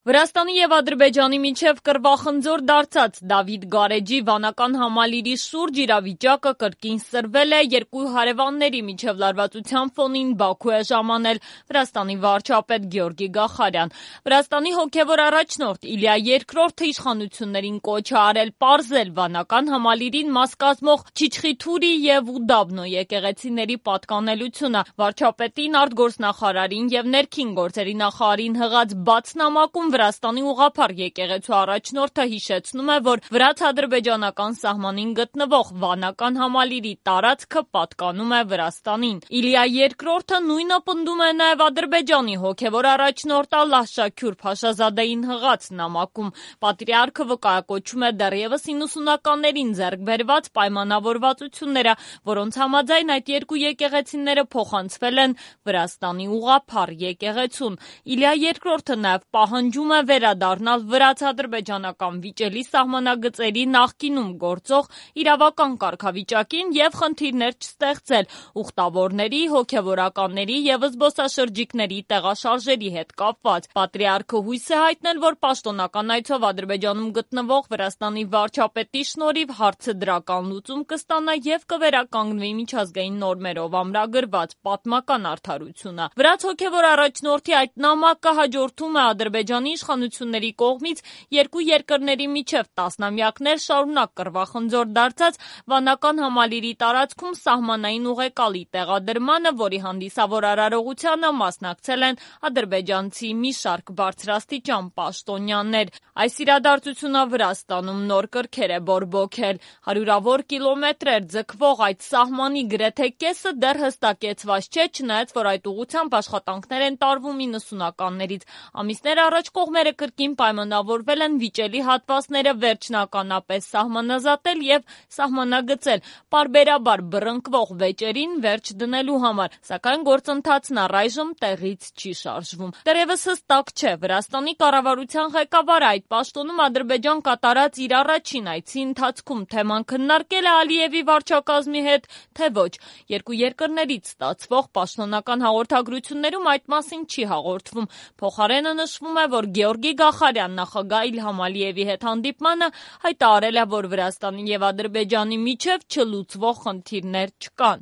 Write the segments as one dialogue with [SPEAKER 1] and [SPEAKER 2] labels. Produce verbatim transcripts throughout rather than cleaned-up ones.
[SPEAKER 1] Վրաստանի և Ադրբեջանի միջև կռվախնձոր դարձած Դավիթ Գարեջի վանական համալիրի շուրջ իրավիճակը կրկին սրվել է, երկու հարևանների միջև լարվածության ֆոնին Բաքու է ժամանել Վրաստանի վարչապետ Գեորգի Գախարյան։ Վրաստանի հոգևոր առաջնորդ Իլիա Երկրորդը իշխանություններին կոչ է արել պարզել վանական համալիրին մաս կազմող Չիչխիթուրի և Ուդաբնո եկեղեցիների պատկանելությունը։ Վարչապետին, արտգործնախարարին և ներքին գործերի նախարարին հղած բաց նամակում Վրաստանի ուղղափառ եկեղեցու առաջնորդը հիշեցնում է, որ վրաց-ադրբեջանական սահմանին գտնվող վանական համալիրի տարածքը պատկանում է Վրաստանին։ Իլիա Երկրորդը նույնը պնդում է նաև Ադրբեջանի հոգևոր առաջնորդ Ալլահ Շաքյուր Փաշազադեին հղած նամակում։ Պատրիարքը վկայակոչում է դեռևս իննսունականներին ձեռք բերված պայմանավորվածությունները, որոնց համաձայն այդ երկու եկեղեցիները փոխանցվել են Վրաստանի ուղղափառ եկեղեցուն։ Իլիա Երկրորդը նաև պահանջում է վերադառնալ վրաց-ադրբեջանական վիճելի սահմանագծերի նախկինում գործող իրավական կարգավիճակին և խնդիրներ չստեղծել ուխտավորների, հոգևորականների և զբոսաշրջիկների տեղաշարժերի հետ կապված։ Պատրիարքը հույս է հայտնել, որ պաշտոնական այցով Ադրբեջանում գտնվող Վրաստանի վարչապետի շնորհիվ հարցը դրական լուծում կստանա և կվերականգնվի միջազգային նորմերով ամրագրված պատմական արդարությունը։ Վրաց հոգևոր առաջնորդի այդ նամակը հաջորդում է Ադրբեջանի իշխանությունների կողմից երկու երկրների միջև տասնամյակներ շարունակ կռվախնձոր դարձած վանական համալիրի տարածքում սահմանային ուղեկալի տեղադրմանը, որի հանդիսավոր արարողությանը մասնակցել են ադրբեջանցի մի շարք բարձրաստիճան պաշտոնյաներ։ Այս իրադարձությունը Վրաստանում նոր կրքեր է բորբոքել։ Հարյուրավոր կիլոմետրեր ձգվող այդ սահմանի գրեթե կեսը դեռ հստակեցված չէ, չնայած որ այդ ուղղությամբ աշխատանքներ են տարվում իննսունականներից։ Ամիսներ առաջ կողմերը կրկին պայմանավորվել են վիճելի հատվածները վերջնականապես սահմանազատել և սահմանագծել պարբերաբար բռնկվող վեճերին վերջ դնելու համար, սակայն գործընթացն առայժմ տեղից չի շարժվում։ Դեռևս հստակ չէ Վրաստանի կառավարության ղեկավարը այդ պաշտոնում Ադրբեջան կատարած իր առաջին այցի ընթացքում թեման քննարկել է Ալիևի վարչակազմի հետ, թե ոչ։ Երկու երկրներից ստացվող պաշտոնական հաղորդագրություններում այդ մասին չի հաղորդվում։ Փոխարենը նշվում է, որ Գեորգի Գախարյան նախագահ Իլհամ Ալիևի հետ հանդիպմանը հայտարարել է, որ Վրաստանի և Ադրբեջանի միջև չլուծվող խնդիրներ չկան։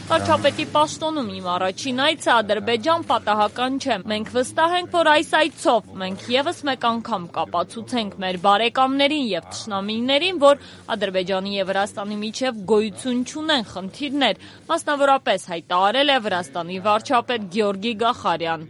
[SPEAKER 1] Վարչապետի պաշտոնում իմ առաջին այցը Ադրբեջան պատահական չէ։ Մենք վստահ ենք, որ այս այցով մենք ևս մեկ անգամ կապացուցենք մեր բարեկամներին և թշնամիներին, որ Ադրբեջանի և Վրաստանի միջև գոյություն չունեն խնդիրներ, մասնավորապես հայտարարել է Վրաստանի վարչապետ Գեորգի Գախարյան։